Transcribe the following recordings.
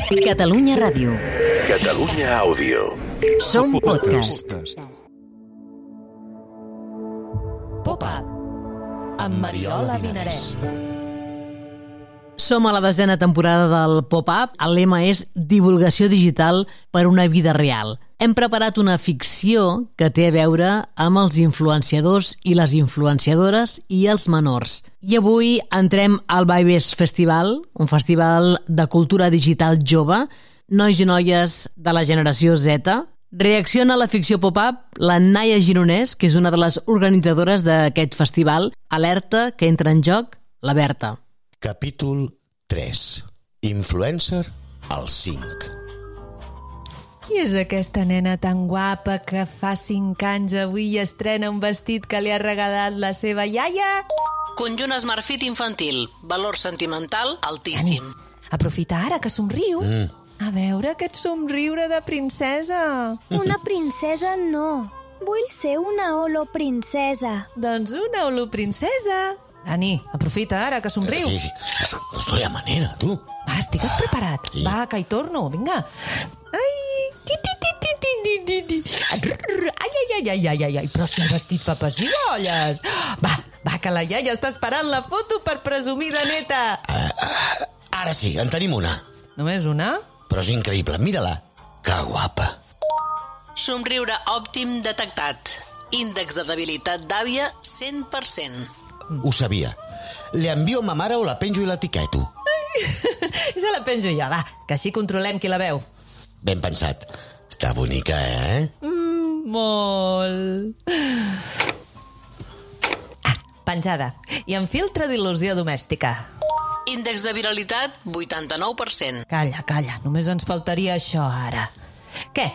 Catalunya Ràdio. Catalunya Àudio. Som podcast. Pop-up amb Mariola Vinarès. Som a la 10ª temporada del Pop-up. El lema és divulgació digital per una vida real. Hem preparat una ficció que té a veure amb els influenciadors i les influenciadores i els menors. I avui entrem al Vibes Festival, un festival de cultura digital jove, nois i noies de la generació Z. Reacciona a la ficció pop-up la Naia Gironès, que és una de les organitzadores d'aquest festival. Alerta que entra en joc la Berta. Capítol 3. Influencer al 5. Qui és aquesta nena tan guapa que fa 5 anys avui i estrena un vestit que li ha regalat la seva iaia? Conjunt Smartfit infantil. Valor sentimental altíssim. Aprofita ara que somriu. A veure aquest somriure de princesa. Una princesa no. Vull ser una holoprincesa. Doncs una holoprincesa. Dani, aprofita ara que somriu. Sí. No estoy a manera, tu. Va, estigues preparat. Sí. Va, que hi torno, vinga. Ai, ai, però si el vestit fa pessigolles. Va, que la iaia està esperant la foto per presumir de neta. Ara sí, en tenim una. Només una? Però és increïble, mira-la. Que guapa. Somriure òptim detectat. Índex de debilitat d'àvia 100%. Ho sabia. Le envio a ma mare o la penjo i l'etiqueto. Ja la penjo ja, va, que així controlem qui la veu. Ben pensat. Està bonica, eh? Molt. Penjada. I en filtre d'il·lusió domèstica. Índex de viralitat 89%. Calla, només ens faltaria això ara. Què?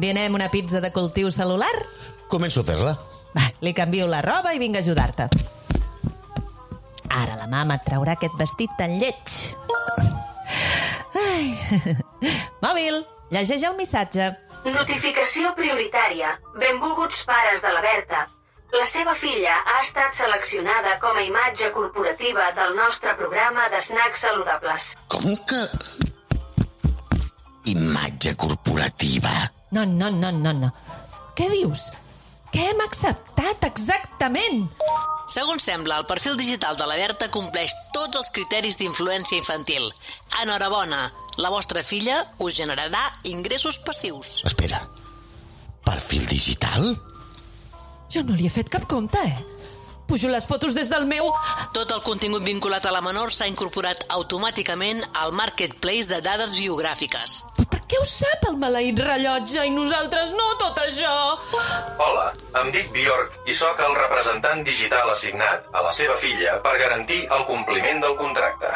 Dinem una pizza de cultiu cel·lular? Començo a fer-la. Va, li canvio la roba i vinc a ajudar-te. Ara la mama et traurà aquest vestit tan lleig. Ai. Mòbil, llegeix el missatge. Notificació prioritària. Benvolguts pares de la Berta. La seva filla ha estat seleccionada com a imatge corporativa del nostre programa de snacks saludables. Com que... Imatge corporativa? No. Què dius? Què hem acceptat exactament? Segons sembla, el perfil digital de la Berta compleix tots els criteris d'influència infantil. Enhorabona, la vostra filla us generarà ingressos passius. Espera. Perfil digital? Jo no li he fet cap compte, Pujo les fotos des del meu... Tot el contingut vinculat a la menor s'ha incorporat automàticament al marketplace de dades biogràfiques. Per què ho sap el maleït rellotge i nosaltres no, tot això? Hola, em dic Bjork i sóc el representant digital assignat a la seva filla per garantir el compliment del contracte.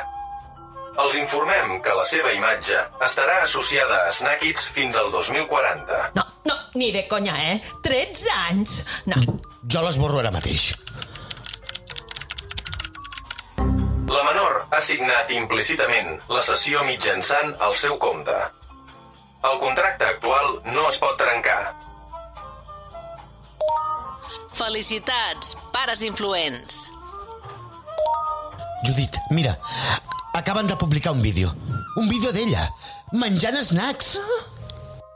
Els informem que la seva imatge estarà associada a Snackits fins al 2040. No, ni de conya, 13 anys! No. Jo l'esborro ara mateix. La menor ha signat implícitament la cessió mitjançant el seu compte. El contracte actual no es pot trencar. Felicitats, pares influents. Judit, mira, acaben de publicar un vídeo. Un vídeo d'ella, menjant snacks.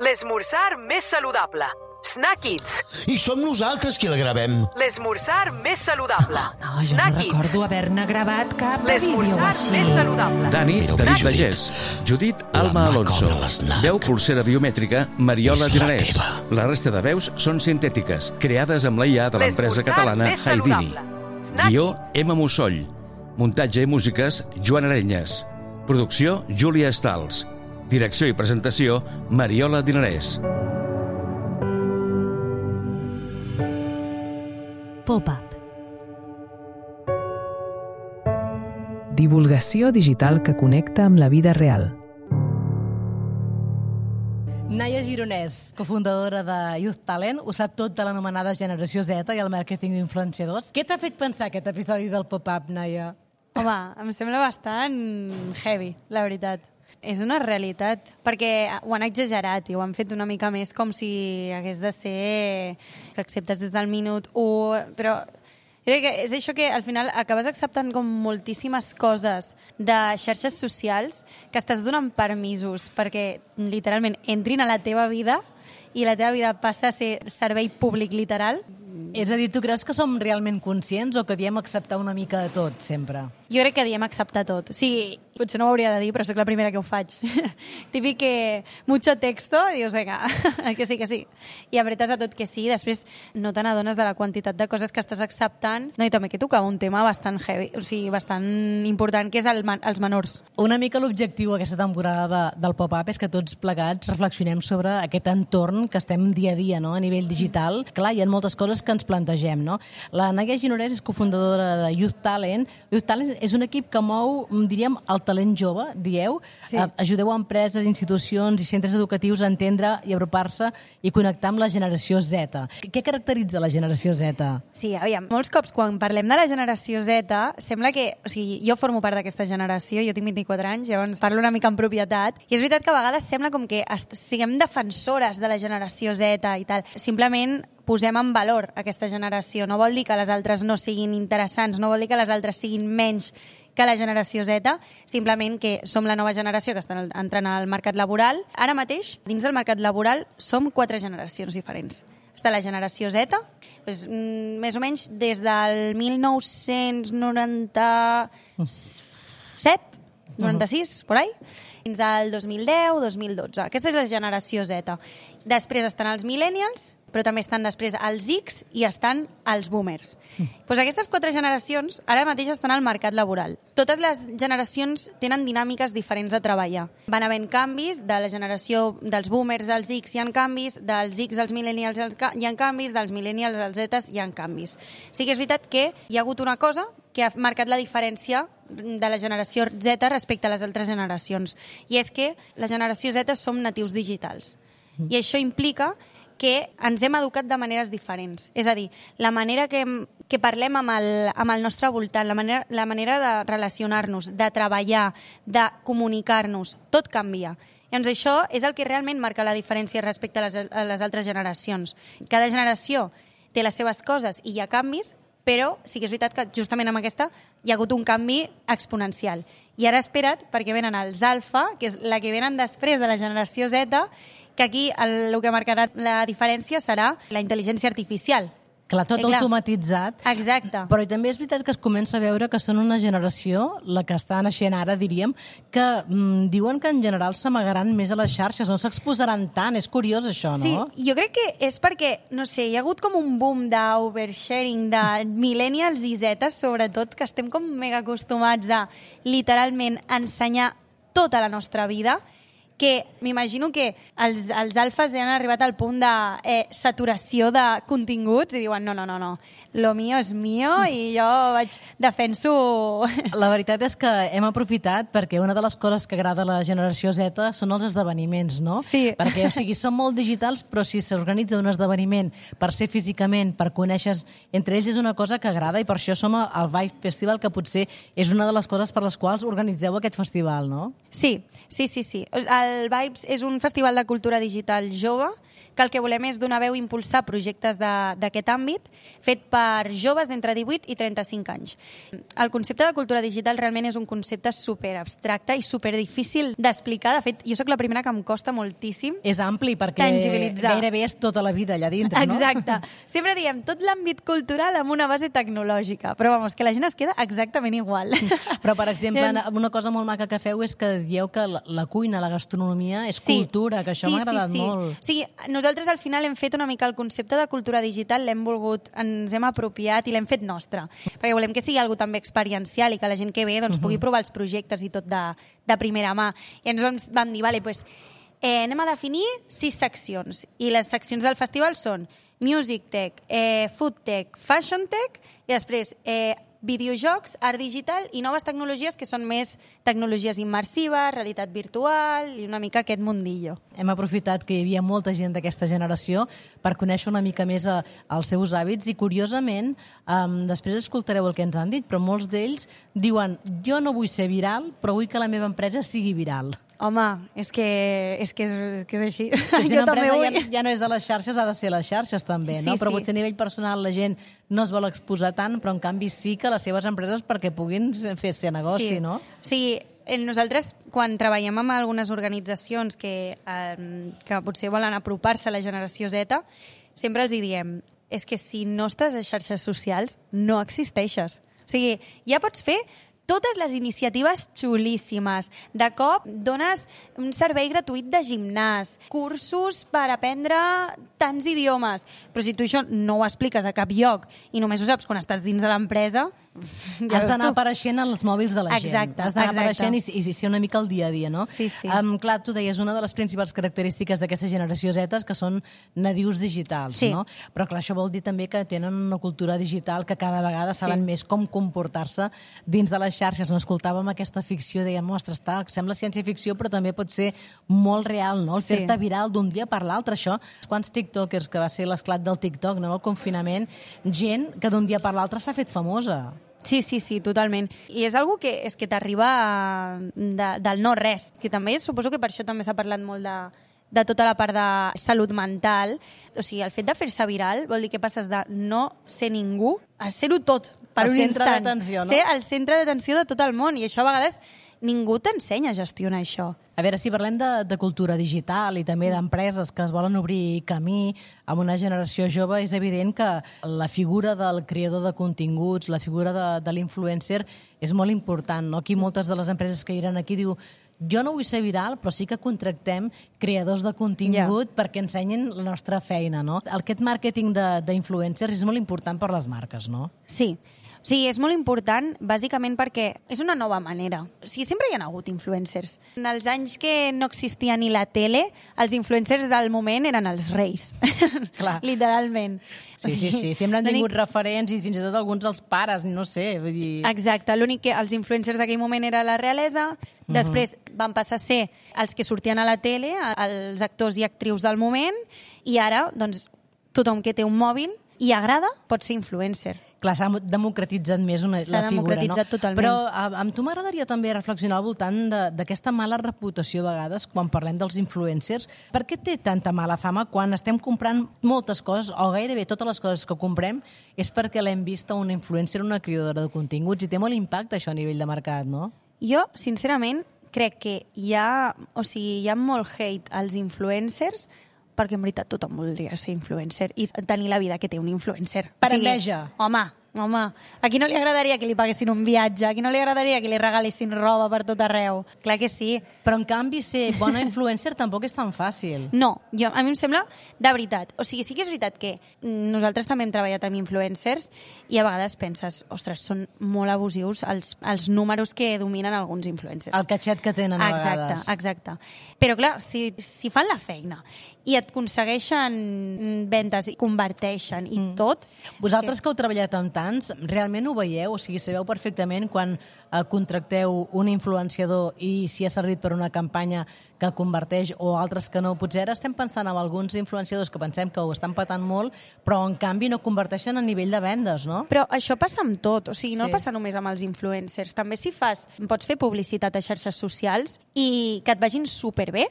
L'esmorzar més saludable. Snackits. I som nosaltres qui la gravem. L'esmorzar més saludable. No, jo no recordo haver-ne gravat cap vídeo L'esmorzar així. més saludable. Dani, Però, David Judit, Vallès. Judit, la Alma mà Alonso. cobra l'esnac. Veu pulsera biomètrica, Mariola És la Dinarès. teva. La resta de veus són sintètiques, creades amb la IA de l'empresa L'esmorzar catalana més Haidini. saludable. Snackits. Guió, Emma Mussoll. Muntatge i músiques, Joan Arenyes. Producció, Júlia Estals. Direcció i presentació, Mariola Dinarès. Pop-up. Divulgació digital que connecta amb la vida real. Naia Gironès, cofundadora de Youth Talent, ho sap tot de l'anomenada generació Z i el màrqueting d'influenciadors. Què t'ha fet pensar aquest episodi del Pop-up, Naia? Home, em sembla bastant heavy, la veritat. És una realitat, perquè ho han exagerat i ho han fet una mica més com si hagués de ser que acceptes des del minut 1, però Jo crec que és això que al final acabes acceptant com moltíssimes coses de xarxes socials que estàs donant permisos perquè literalment entrin a la teva vida i la teva vida passa a ser servei públic literal. És a dir, tu creus que som realment conscients o que diem acceptar una mica de tot, sempre? Jo crec que diem acceptar tot. O sigui, potser no ho hauria de dir, però sóc la primera que ho faig. Típic que mucho texto i dius, vinga, que sí, que sí. I apretes a tot que sí, després no te n'adones de la quantitat de coses que estàs acceptant. No, i també que tocava un tema bastant heavy, o sigui, bastant important, que és els menors. Una mica l'objectiu aquesta temporada del Pop-Up és que tots plegats reflexionem sobre aquest entorn que estem dia a dia, no?, a nivell digital. Clar, hi ha moltes coses que ens plantegem, no? La Naia Ginorès és cofundadora de Youth Talent. Youth Talent és un equip que mou, diríem, el talent jove, dieu. Sí. Ajudeu a empreses, institucions i centres educatius a entendre i apropar-se i connectar amb la generació Z. Què caracteritza la generació Z? Sí, aviam, molts cops quan parlem de la generació Z, sembla que... O sigui, jo formo part d'aquesta generació, jo tinc 24 anys, llavors parlo una mica en propietat, i és veritat que a vegades sembla com que siguem defensores de la generació Z i tal. Simplement posem en valor aquesta generació. No vol dir que les altres no siguin interessants, no vol dir que les altres siguin menys que la generació Z, simplement que som la nova generació que està entrant al mercat laboral. Ara mateix, dins del mercat laboral, som 4 generacions diferents. Està la generació Z, doncs, més o menys des del 1997, 96, por ahí, fins al 2010, 2012. Aquesta és la generació Z. Després estan els millennials, però també estan després els X i estan els boomers. Doncs aquestes 4 generacions ara mateix estan al mercat laboral. Totes les generacions tenen dinàmiques diferents de treballar. Van havent canvis, de la generació dels boomers als X hi ha canvis, dels X als millennials hi ha canvis, dels millennials als Z hi ha canvis. Sí que és veritat que hi ha hagut una cosa que ha marcat la diferència de la generació Z respecte a les altres generacions. I és que la generació Z som natius digitals. I això implica que ens hem educat de maneres diferents. És a dir, la manera que parlem amb el nostre voltant, la manera de relacionar-nos, de treballar, de comunicar-nos, tot canvia. Llavors això és el que realment marca la diferència respecte a les altres generacions. Cada generació té les seves coses i hi ha canvis, però sí que és veritat que justament amb aquesta hi ha hagut un canvi exponencial. I ara espera't, perquè venen els alfa, que és la que venen després de la generació Z, que aquí el que marcarà la diferència serà la intel·ligència artificial. Clar, tot automatitzat. Exacte. Però també és veritat que es comença a veure que són una generació, la que està naixent ara, diríem, que diuen que en general s'amagaran més a les xarxes, no s'exposaran tant. És curiós, això, no? Sí, jo crec que és perquè, no sé, hi ha hagut com un boom d'oversharing de millennials i zetes, sobretot, que estem com mega acostumats a literalment ensenyar tota la nostra vida, que m'imagino que els alfes han arribat al punt de saturació de continguts i diuen no, lo mío es mío i jo defenso... La veritat és que hem aprofitat perquè una de les coses que agrada a la generació Z són els esdeveniments, no? Sí. Perquè, o sigui, són molt digitals, però si s'organitza un esdeveniment per ser físicament, per conèixer entre ells, és una cosa que agrada i per això som al Vibe Festival, que potser és una de les coses per les quals organitzeu aquest festival, no? Sí. El Vibes és un festival de cultura digital jove que el que volem és donar veu i impulsar projectes d'aquest àmbit fet per joves d'entre 18 i 35 anys. El concepte de cultura digital realment és un concepte super abstracte i super difícil d'explicar. De fet, jo sóc la primera que em costa moltíssim és ampli perquè gairebé és tota la vida allà dintre, no? Exacte. Sempre diem tot l'àmbit cultural amb una base tecnològica, però vamos, que la gent es queda exactament igual. Però, per exemple, una cosa molt maca que feu és que dieu que la cuina, la gastronomia és cultura, que això m'ha agradat molt. Sí, nosaltres al final hem fet una mica el concepte de cultura digital, l'hem volgut, ens hem apropiat i l'hem fet nostre, perquè volem que sigui algo també experiencial i que la gent que ve pugui provar els projectes i tot de primera mà. I ens vam dir, vale, pues, anem a definir 6 seccions i les seccions del festival són Music Tech, Food Tech, Fashion Tech i després videojocs, art digital i noves tecnologies que són més tecnologies immersives, realitat virtual i una mica aquest mundillo. Hem aprofitat que hi havia molta gent d'aquesta generació per conèixer una mica més els seus hàbits i, curiosament, després escoltareu el que ens han dit, però molts d'ells diuen jo no vull ser viral, però vull que la meva empresa sigui viral. Home, és que és així. Si Jo una també vull. empresa ja no és de les xarxes, ha de ser les xarxes també, no? Sí, Però sí. potser a nivell personal la gent no es vol exposar tant, però en canvi sí que les seves empreses perquè puguin fer-se negoci, no? Sí, nosaltres, quan treballem amb algunes organitzacions que potser volen apropar-se a la generació Z, sempre els hi diem, és que si no estàs a xarxes socials, no existeixes. O sigui, ja pots fer totes les iniciatives xulíssimes. De cop dones un servei gratuït de gimnàs, cursos per aprendre tants idiomes. Però si tu això no ho expliques a cap lloc i només ho saps quan estàs dins de l'empresa... Has d'anar apareixent als mòbils de la gent. Exacte, Has d'anar exacte. apareixent i ser una mica al dia a dia, no? Sí, sí. Clar, tu deies una de les principals característiques d'aquesta generació Z que són nadius digitals, Sí. no? Però clar, això vol dir també que tenen una cultura digital que cada vegada saben més com comportar-se dins de les xarxes. No escoltàvem aquesta ficció, dèiem, ostres, sembla ciència-ficció, però també pot ser molt real, no? El Sí. fer-te viral d'un dia per l'altre, això. Quants tiktokers, que va ser l'esclat del TikTok, no? El confinament, gent que d'un dia per l'altre s'ha fet famosa. Sí, totalment. I és algo que t'arriba del no res, que també suposo que per això també s'ha parlat molt de tota la part de salut mental. O sigui, el fet de fer-se viral vol dir que passes de no ser ningú a ser-ho tot per un centre instant. d'atenció, no? Ser el centre d'atenció de tot el món. I això a vegades ningú t'ensenya a gestionar això. A veure, si parlem de cultura digital i també d'empreses que es volen obrir camí amb una generació jove, és evident que la figura del creador de continguts, la figura de l'influencer és molt important, no? Aquí moltes de les empreses que iran aquí diu jo no vull ser viral, però sí que contractem creadors de contingut perquè ensenyin la nostra feina, no? Aquest màrqueting d'influencers és molt important per les marques, no? Sí. Sí, és molt important, bàsicament perquè és una nova manera. O sigui, sempre hi ha hagut influencers. En els anys que no existia ni la tele, els influencers del moment eren els reis. Clar. Literalment. Sí. Sempre han tingut referents i fins i tot alguns dels pares, no sé, vull dir... Exacte, l'únic que els influencers d'aquell moment era la realesa, després van passar a ser els que sortien a la tele, els actors i actrius del moment, i ara, doncs, tothom que té un mòbil i agrada pot ser influencer. Clar, s'ha democratitzat més la figura, no? S'ha democratitzat totalment. Però amb tu m'agradaria també reflexionar al voltant d'aquesta mala reputació a vegades quan parlem dels influencers. Per què té tanta mala fama quan estem comprant moltes coses, o gairebé totes les coses que comprem, és perquè l'hem vist a una influencer, una creadora de continguts, i té molt impacte això a nivell de mercat, no? Jo, sincerament, crec que hi ha molt hate als influencers perquè en veritat tothom voldria ser influencer i tenir la vida que té un influencer. Per enveja. Home, a qui no li agradaria que li paguessin un viatge? A qui no li agradaria que li regalessin roba per tot arreu? Clar que sí. Però en canvi ser bona influencer tampoc és tan fàcil. No, a mi em sembla de veritat. O sigui, sí que és veritat que nosaltres també hem treballat amb influencers i a vegades penses, ostres, són molt abusius els números que dominen alguns influencers. El catxet que tenen a vegades. Exacte. Però clar, si fan la feina i et aconsegueixen ventes i converteixen i tot... Vosaltres que heu treballat amb tants, realment ho veieu? O sigui, sabeu perfectament quan contracteu un influenciador i si ha servit per una campanya que converteix o altres que no. Potser ara estem pensant en alguns influenciadors que pensem que ho estan patant molt, però en canvi no converteixen a nivell de vendes, no? Però això passa amb tot, o sigui, no passa només amb els influencers. També si pots fer publicitat a xarxes socials i que et vagin superbé,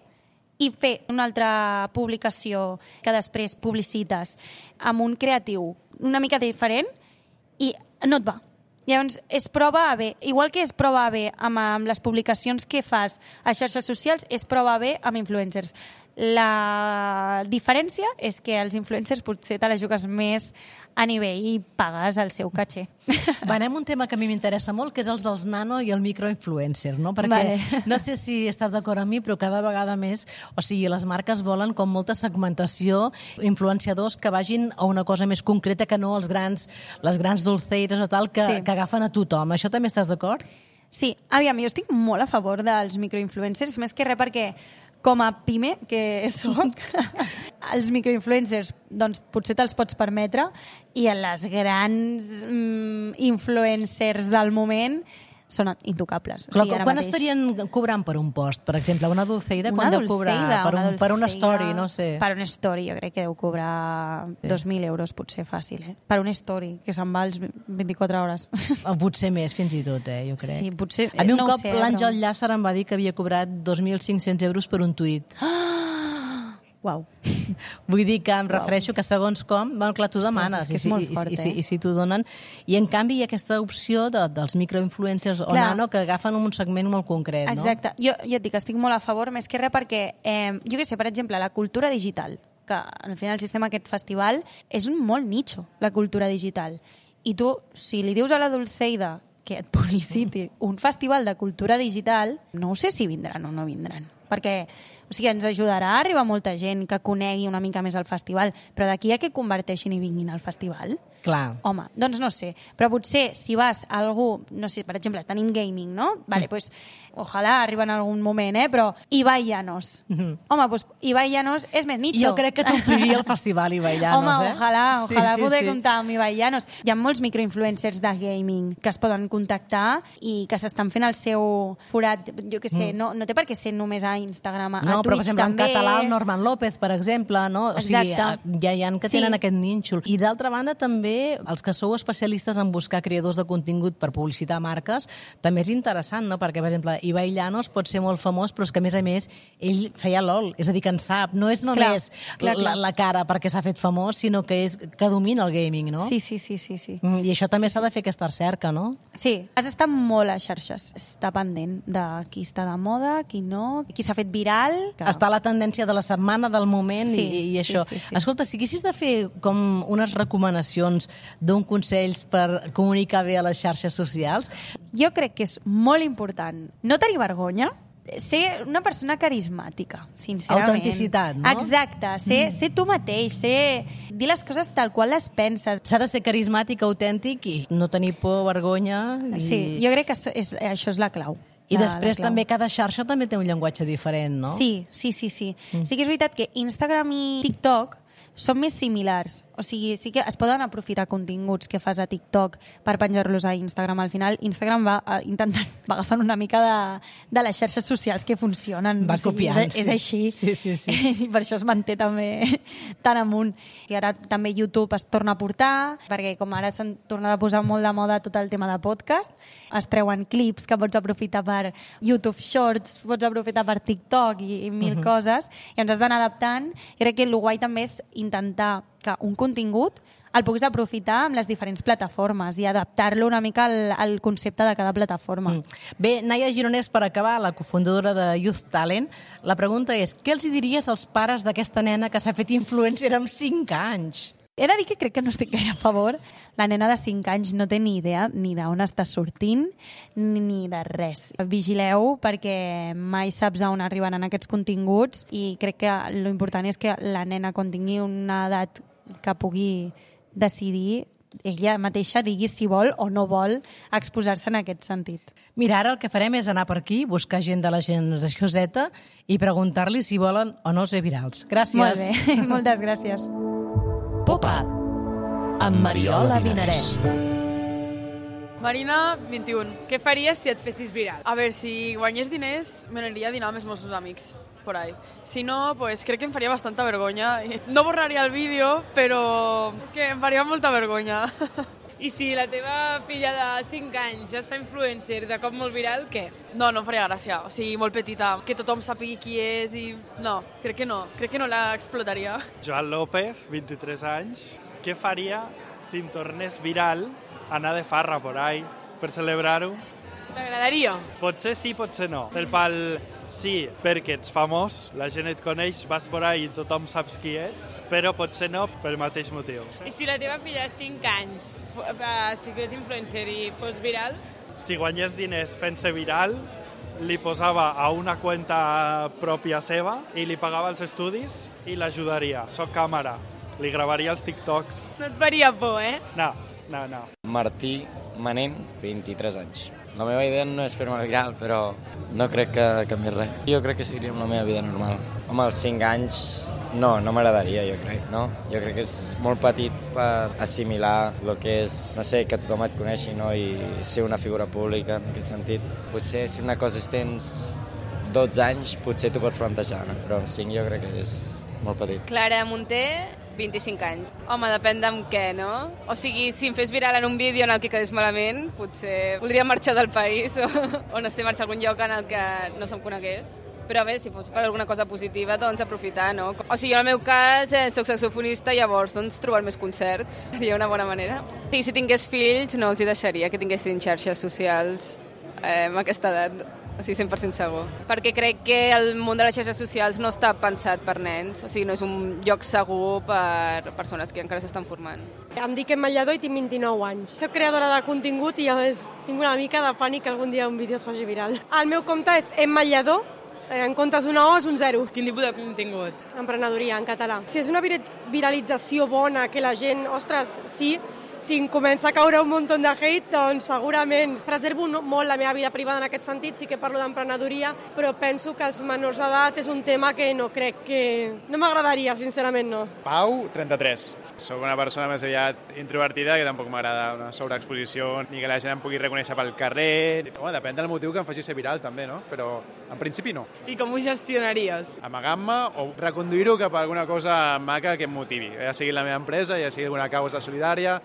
i fer una altra publicació que després publicites amb un creatiu una mica diferent i no et va. Llavors, és prova A B. Igual que és prova A B amb les publicacions que fas a xarxes socials, és prova B amb influencers. La diferència és que els influencers potser te la jugues més a nivell i pagues el seu caché. Anem a un tema que a mi m'interessa molt, que és els dels nano i el microinfluencer, no? Perquè no sé si estàs d'acord amb mi, però cada vegada més, o sigui, les marques volen com molta segmentació, influenciadors que vagin a una cosa més concreta que no les grans dulceites o tal que agafen a tothom. Això també estàs d'acord? Sí, aviam, jo estic molt a favor dels microinfluencers, més que res perquè com a pime que soc, els microinfluencers doncs, potser te'ls pots permetre i les grans influencers del moment són intocables. Clar, quan estarien cobrant per un post? Per exemple, una Dulceida, quan deu cobrar? Per una story, no sé. Per una story, jo crec que deu cobrar 2.000 euros, potser fàcil, Per una story, que se'n va als 24 hores. Potser més, fins i tot, jo crec. Sí, potser... A mi un cop l'Àngel Llàcer em va dir que havia cobrat 2.500 euros per un tuit. Uau. Vull dir que em refereixo que segons com, clar, tu demanes és molt fort, i si t'ho donen. I en canvi hi ha aquesta opció dels microinfluencers o nano que agafen un segment molt concret, no? Exacte. Jo et dic, estic molt a favor, més que res perquè, jo què sé, per exemple, la cultura digital, que al final el sistema aquest festival és un molt nicho, la cultura digital. I tu, si li dius a la Dulceida que et publiciti un festival de cultura digital, no sé si vindran o no vindran. Perquè ens ajudarà a arribar molta gent que conegui una mica més el festival, però d'aquí a que converteixin i vinguin al festival? Clar. Home, doncs no sé. Però potser si vas a algú, no sé, per exemple, tenim gaming, no? Vale, pues, ojalà arriba en algun moment, però Ibai Llanos. Home, pues Ibai Llanos és més nicho. Jo crec que t'ompliria el festival Ibai Llanos, Home, ojalà poder comptar amb Ibai Llanos. Hi ha molts microinfluencers de gaming que es poden contactar i que s'estan fent el seu forat, jo què sé, no té per què ser només a Instagram, a no, però, per Twitch exemple, també. En català, el Norman López, per exemple, no? O sigui, ja hi ha que tenen aquest nínxol. I d'altra banda, també, els que sou especialistes en buscar creadors de contingut per publicitar marques, també és interessant, no? Perquè, per exemple, Ibai Llanos pot ser molt famós, però és que, a més, ell feia LOL, és a dir, que en sap. No és només la cara perquè s'ha fet famós, sinó que domina el gaming, no? Sí. I això també s'ha de fer aquesta recerca, no? Sí, has d'estar molt a xarxes. Està pendent de qui està de moda, qui no, qui s'ha fet viral. Està a la tendència de la setmana, del moment i això. Sí. Escolta, si haguessis de fer com unes recomanacions d'un consells per comunicar bé a les xarxes socials... Jo crec que és molt important no tenir vergonya, ser una persona carismàtica, sincerament. Autenticitat, no? Exacte, ser tu mateix, dir les coses tal qual les penses. S'ha de ser carismàtic, autèntic i no tenir por, vergonya... Sí, jo crec que això és la clau. I després també cada xarxa també té un llenguatge diferent, no? Sí. Sí que és veritat que Instagram i TikTok són més similars. O sigui, sí que es poden aprofitar continguts que fas a TikTok per penjar-los a Instagram. Al final, Instagram va agafant una mica de les xarxes socials que funcionen. Va copiant, és així. Sí. I per això es manté també tan amunt. I ara també YouTube es torna a portar, perquè com ara s'han tornat a posar molt de moda tot el tema de podcast, es treuen clips que pots aprofitar per YouTube Shorts, pots aprofitar per TikTok i mil coses, i ens has d'anar adaptant. Jo crec que el guai també és intentar que un contingut el puguis aprofitar amb les diferents plataformes i adaptar-lo una mica al concepte de cada plataforma. Bé, Naia Gironès, per acabar, la cofundadora de Youth Talent, la pregunta és, què els diries als pares d'aquesta nena que s'ha fet influencer amb 5 anys? He de dir que crec que no estic gaire a favor. La nena de 5 anys no té ni idea ni d'on està sortint ni de res. Vigileu perquè mai saps on arribaran aquests continguts i crec que l'important és que la nena, quan tingui una edat que pugui decidir, ella mateixa digui si vol o no vol exposar-se en aquest sentit. Mira, ara el que farem és anar per aquí, buscar gent de la generació Z i preguntar-li si volen o no ser virals. Gràcies. Molt bé, moltes gràcies. Pop-up amb Mariola Vinarès. Marina, 21. Què faries si et fessis viral? A veure, si guanyés diners, me n'aniria a dinar amb els meus amics. Por ahí. Si no, pues crec que em faria bastanta vergonya. No borraria el vídeo, però és que em faria molta vergonya. I si la teva filla de 5 anys ja es fa influencer de cop molt viral, què? No em faria gràcia. O sigui, molt petita. Que tothom sàpigui qui és i... No, crec que no. Crec que no l'explotaria. Joan López, 23 anys. Què faria si em tornés viral anar de farra por ahí per celebrar-ho? T'agradaria? Potser sí, potser no. Del pal sí, perquè ets famós, la gent et coneix, vas por ahí i tothom saps qui ets, però potser no pel mateix motiu. I si la teva filla de 5 anys si fos influencer i fos viral? Si guanyés diners fent-se viral, li posava a una cuenta pròpia seva i li pagava els estudis i l'ajudaria. Soc càmera, li gravaria els TikToks. No et faria por, No. Martí Manent, 23 anys. La meva idea no és fer-me viral, però no crec que canviï res. Jo crec que seguiria amb la meva vida normal. Home, als 5 anys No, no m'agradaria, jo crec, no? Jo crec que és molt petit per assimilar el que és, no sé, que tothom et coneixi, no? I ser una figura pública, en aquest sentit. Potser si una cosa tens 12 anys, potser t'ho pots plantejar, no? Però amb 5 jo crec que és molt petit. Clara Munté, 25 anys. Home, depèn d'amb què, no? O sigui, si em fes viral en un vídeo en el que quedés malament, potser voldria marxar del país o no sé, marxar a algun lloc en el que no se'm conegués. Però bé, si fos per alguna cosa positiva, doncs aprofitar, no? O sigui, en el meu cas, soc saxofonista, llavors, doncs, trobar més concerts seria una bona manera. I si tingués fills, no els hi deixaria que tinguessin xarxes socials a aquesta edat. O sigui, 100% segur. Perquè crec que el món de les xarxes socials no està pensat per nens, o sigui, no és un lloc segur per persones que encara s'estan formant. Em dic Emma Lledó i tinc 29 anys. Soc creadora de contingut i tinc una mica de pànic que algun dia un vídeo es faci viral. El meu compte és Emma Lledó, en comptes d'una O és un 0. Quin tipus de contingut? Emprenedoria, en català. Si és una viralització bona, que la gent, ostres, sí, si em comença a caure un munt de hate, doncs segurament preservo molt la meva vida privada en aquest sentit, sí que parlo d'emprenedoria, però penso que els menors d'edat és un tema que no crec que... No m'agradaria, sincerament no. Pau, 33. Soc una persona més aviat introvertida, que tampoc m'agrada una sobreexposició, ni que la gent em pugui reconèixer pel carrer. Bueno, depèn del motiu que em faci ser viral, també, no? Però en principi no. I com ho gestionaries? Amagant-me o reconduir-ho cap a alguna cosa maca que em motivi. Ja sigui la meva empresa, ja sigui alguna causa solidària,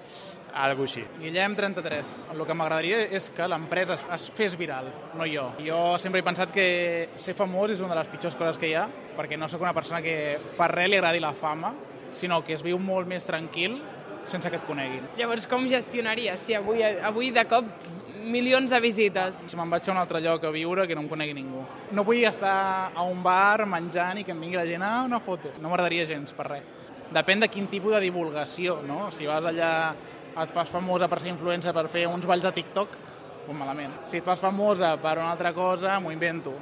algo així. Guillem, 33. El que m'agradaria és que l'empresa es fes viral, no jo. Jo sempre he pensat que ser famós és una de les pitjors coses que hi ha, perquè no sóc una persona que per res li agradi la fama, sinó que es viu molt més tranquil sense que et coneguin. Llavors, com gestionaries si avui de cop milions de visites? Si me'n vaig a un altre lloc a viure que no em conegui ningú. No vull estar a un bar menjant i que em vingui la gent a una foto. No m'agradaria gens, per res. Depèn de quin tipus de divulgació, no? Si vas allà, et fas famosa per ser influencer, per fer uns balls de TikTok, doncs malament. Si et fas famosa per una altra cosa, m'ho invento.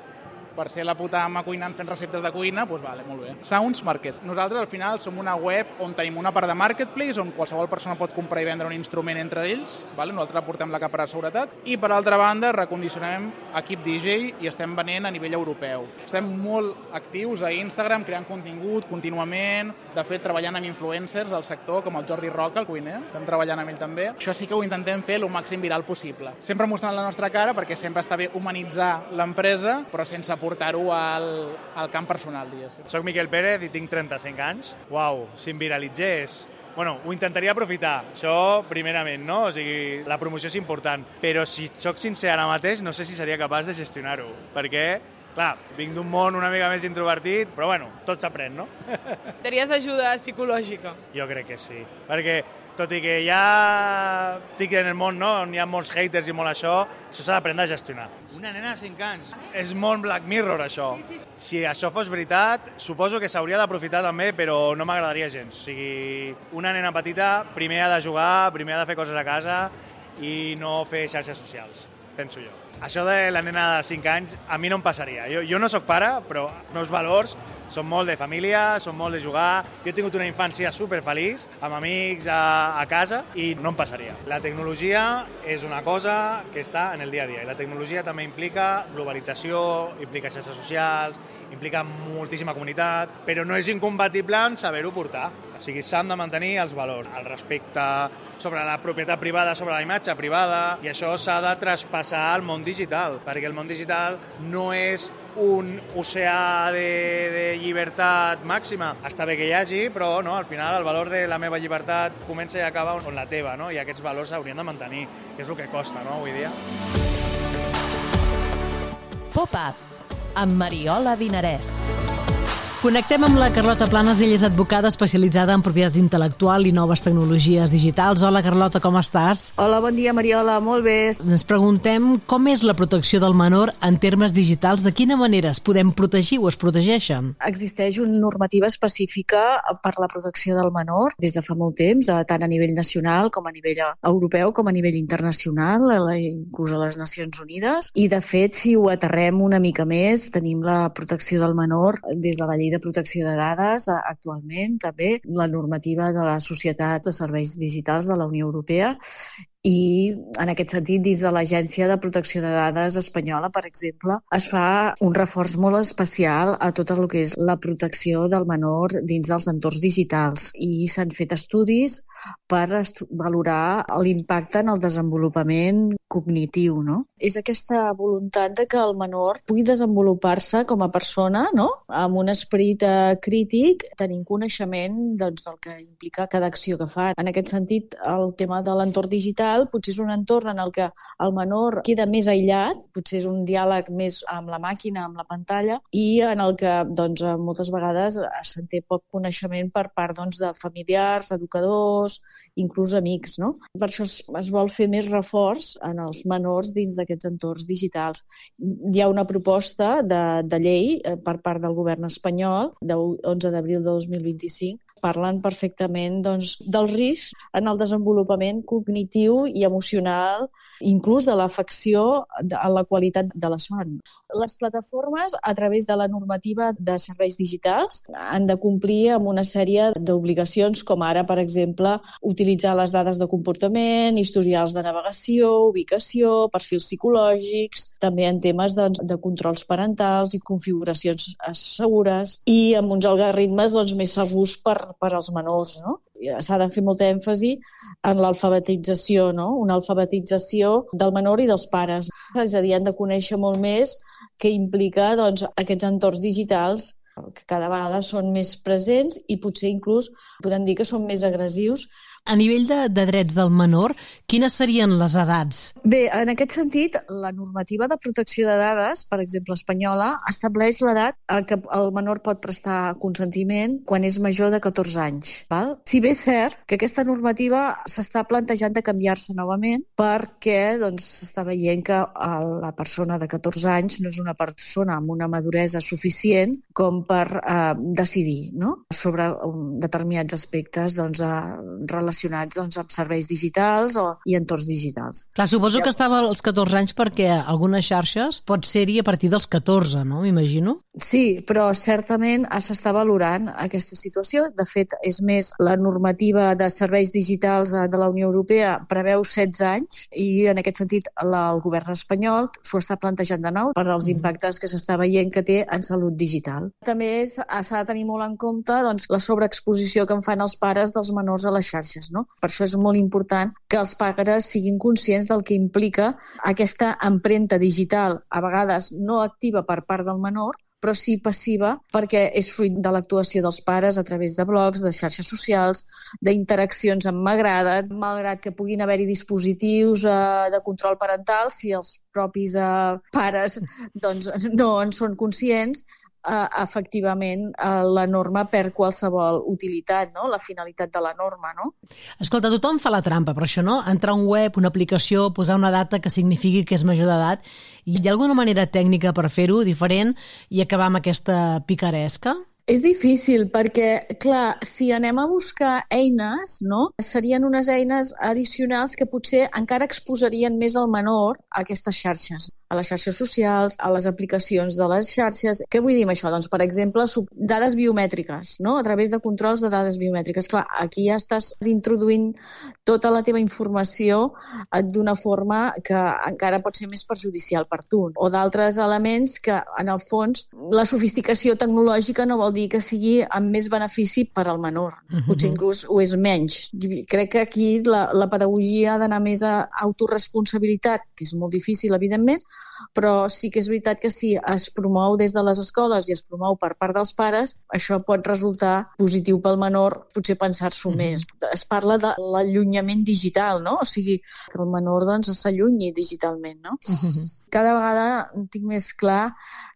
Per ser la puta ama cuinant fent receptes de cuina, doncs vale, molt bé. Sounds Market. Nosaltres al final som una web on tenim una part de marketplace on qualsevol persona pot comprar i vendre un instrument entre ells, vale? Nosaltres aportem la capa de seguretat i per altra banda recondicionem equip DJ i estem venent a nivell europeu. Estem molt actius a Instagram creant contingut contínuament, de fet treballant amb influencers del sector com el Jordi Roca, el cuiner, estem treballant amb ell també. Això sí que ho intentem fer el màxim viral possible. Sempre mostrant la nostra cara perquè sempre està bé humanitzar l'empresa però sense portar-ho al camp personal, diguéssim. Soc Miquel Pérez i tinc 35 anys. Uau, si em viralitzés... Bueno, ho intentaria aprofitar, això primerament, no? O sigui, la promoció és important. Però si soc sincer ara mateix, no sé si seria capaç de gestionar-ho. Perquè, clar, vinc d'un món una mica més introvertit, però bueno, tot s'aprèn, no? Tenies ajuda psicològica? Jo crec que sí. Perquè, tot i que ja estic en el món, no?, on hi ha molts haters i molt això s'ha d'aprendre a gestionar. Una nena de 5 anys. És molt Black Mirror, això. Si això fos veritat, suposo que s'hauria d'aprofitar també, però no m'agradaria gens. O sigui, una nena petita primer ha de jugar, primer ha de fer coses a casa i no fer xarxes socials, penso jo. Això de la nena de 5 anys a mi no em passaria. Jo no sóc pare, però els meus valors són molt de família, són molt de jugar. Jo he tingut una infància superfeliç, amb amics a casa, i no em passaria. La tecnologia és una cosa que està en el dia a dia. I la tecnologia també implica globalització, implica xarxes socials, implica moltíssima comunitat, però no és incompatible en saber-ho portar. O sigui, s'han de mantenir els valors, el respecte sobre la propietat privada, sobre la imatge privada, i això s'ha de traspassar al món digital, perquè el món digital no és un oceà de llibertat màxima. Està bé que hi hagi, però no, al final el valor de la meva llibertat comença i acaba on la teva, no? I aquests valors s'haurien de mantenir, que és el que costa, no?, avui dia. Pop-up amb Mariola Vinarès. Connectem amb la Carlota Planas, ella és advocada especialitzada en propietat intel·lectual i noves tecnologies digitals. Hola, Carlota, com estàs? Hola, bon dia, Mariola, molt bé. Ens preguntem com és la protecció del menor en termes digitals, de quina manera es podem protegir o es protegeixen? Existeix una normativa específica per la protecció del menor des de fa molt temps, tant a nivell nacional com a nivell europeu com a nivell internacional, inclús a les Nacions Unides, i de fet, si ho aterrem una mica més, tenim la protecció del menor des de la llei de protecció de dades actualment, també la normativa de la Societat de Serveis Digitals de la Unió Europea I en aquest sentit, dins de l'Agència de Protecció de Dades espanyola, per exemple, es fa un reforç molt especial a tot el que és la protecció del menor dins dels entorns digitals i s'han fet estudis per valorar l'impacte en el desenvolupament cognitiu, no? És aquesta voluntat de que el menor pugui desenvolupar-se com a persona, no? Amb un esperit crític, tenint coneixement del que implica cada acció que fa. En aquest sentit, el tema de l'entorn digital potser és un entorn en el que el menor queda més aïllat, potser és un diàleg més amb la màquina, amb la pantalla, i en el que moltes vegades se'n té poc coneixement per part de familiars, educadors, inclús amics, no? Per això es vol fer més reforç en els menors dins d'aquests entorns digitals. Hi ha una proposta de llei per part del govern espanyol, del 11 d'abril de 2025, parlen perfectament del risc en el desenvolupament cognitiu i emocional, inclús de l'afecció a la qualitat de la son. Les plataformes, a través de la normativa de serveis digitals, han de complir amb una sèrie d'obligacions, com ara, per exemple, utilitzar les dades de comportament, historials de navegació, ubicació, perfils psicològics, també en temes de controls parentals i configuracions segures, i amb uns algoritmes més segurs per als menors, no? S'ha de fer molta èmfasi en l'alfabetització, no? Una alfabetització del menor i dels pares. És a dir, han de conèixer molt més què implica aquests entorns digitals que cada vegada són més presents i potser inclús podem dir que són més agressius. A nivell de drets del menor, quines serien les edats? Bé, en aquest sentit, la normativa de protecció de dades, per exemple, espanyola, estableix l'edat a què el menor pot prestar consentiment quan és major de 14 anys. Val? Si bé és cert que aquesta normativa s'està plantejant de canviar-se novament perquè s'està veient que la persona de 14 anys no és una persona amb una maduresa suficient com per decidir, no? Sobre determinats aspectes relacionats amb serveis digitals i entorns digitals. Clar, suposo que estava als 14 anys perquè algunes xarxes pot ser-hi a partir dels 14, no? M'imagino. Sí, però certament s'està valorant aquesta situació. De fet, és més, la normativa de serveis digitals de la Unió Europea preveu 16 anys i en aquest sentit el govern espanyol s'ho està plantejant de nou per als impactes que s'està veient que té en salut digital. També s'ha de tenir molt en compte la sobreexposició que en fan els pares dels menors a les xarxes. No? Per això és molt important que els pares siguin conscients del que implica aquesta empremta digital, a vegades no activa per part del menor, però sí passiva perquè és fruit de l'actuació dels pares a través de blogs, de xarxes socials, d'interaccions amb m'agrada, malgrat que puguin haver-hi dispositius de control parental, si els propis pares no en són conscients, efectivament la norma perd qualsevol utilitat, no? La finalitat de la norma, no? Escolta, tothom fa la trampa, però això, no? Entrar a un web, una aplicació, posar una data que signifiqui que és major d'edat. Hi ha alguna manera tècnica per fer-ho diferent i acabar amb aquesta picaresca? És difícil perquè, clar, si anem a buscar eines, no? Serien unes eines addicionals que potser encara exposarien més el menor a aquestes xarxes, a les xarxes socials, a les aplicacions de les xarxes. Què vull dir amb això? Doncs, per exemple, dades biomètriques, no? A través de controls de dades biomètriques. Clar, aquí ja estàs introduint tota la teva informació d'una forma que encara pot ser més perjudicial per tu. O d'altres elements que, en el fons, la sofisticació tecnològica no vol dir que sigui amb més benefici per al menor. Potser inclús ho és menys. Crec que aquí la pedagogia ha d'anar més a autoresponsabilitat, que és molt difícil, evidentment, però sí que és veritat que si es promou des de les escoles i es promou per part dels pares, això pot resultar positiu pel menor, potser pensar-s'ho més. Es parla de l'allunyament digital, no? O sigui, que el menor s'allunyi digitalment, no? Cada vegada tinc més clar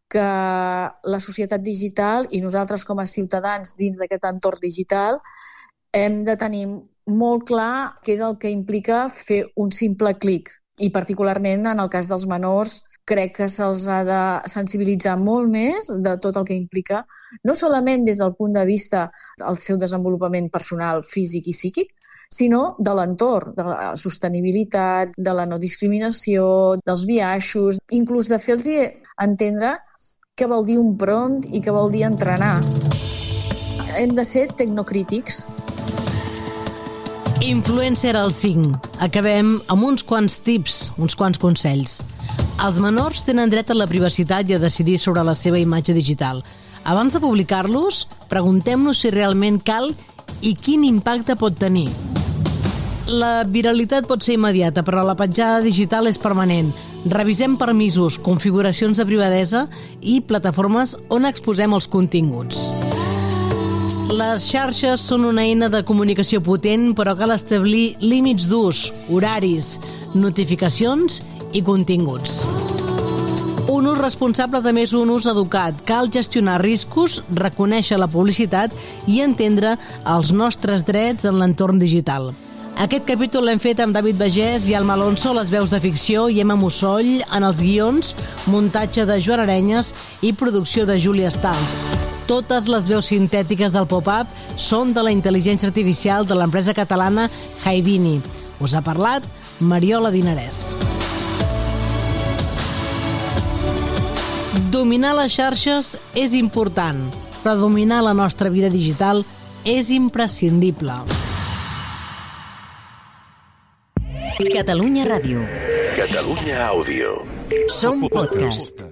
que la societat digital i nosaltres com a ciutadans dins d'aquest entorn digital hem de tenir molt clar què és el que implica fer un simple clic. I particularment en el cas dels menors crec que se'ls ha de sensibilitzar molt més de tot el que implica, no solament des del punt de vista del seu desenvolupament personal, físic i psíquic, sinó de l'entorn, de la sostenibilitat, de la no discriminació, dels biaixos, inclús de fer-los entendre què vol dir un prompt i què vol dir entrenar. Hem de ser tecnocrítics. Influencer al 5. Acabem amb uns quants tips, uns quants consells. Els menors tenen dret a la privacitat i a decidir sobre la seva imatge digital. Abans de publicar-los, preguntem-nos si realment cal i quin impacte pot tenir. La viralitat pot ser immediata, però la petjada digital és permanent. Revisem permisos, configuracions de privadesa i plataformes on exposem els continguts. Les xarxes són una eina de comunicació potent, però cal establir límits d'ús, horaris, notificacions i continguts. Un ús responsable també és un ús educat. Cal gestionar riscos, reconèixer la publicitat i entendre els nostres drets en l'entorn digital. Aquest capítol l'hem fet amb David Bagés i Alma Alonso, les veus de ficció, i Emma Musoll en els guions, muntatge de Joan Arenyes i producció de Júlia Stals. Totes les veus sintètiques del pop-up són de la intel·ligència artificial de l'empresa catalana Haidini. Us ha parlat Mariola Dinarès. Dominar les xarxes és important, però dominar la nostra vida digital és imprescindible. Catalunya Ràdio. Catalunya Àudio. Som podcast.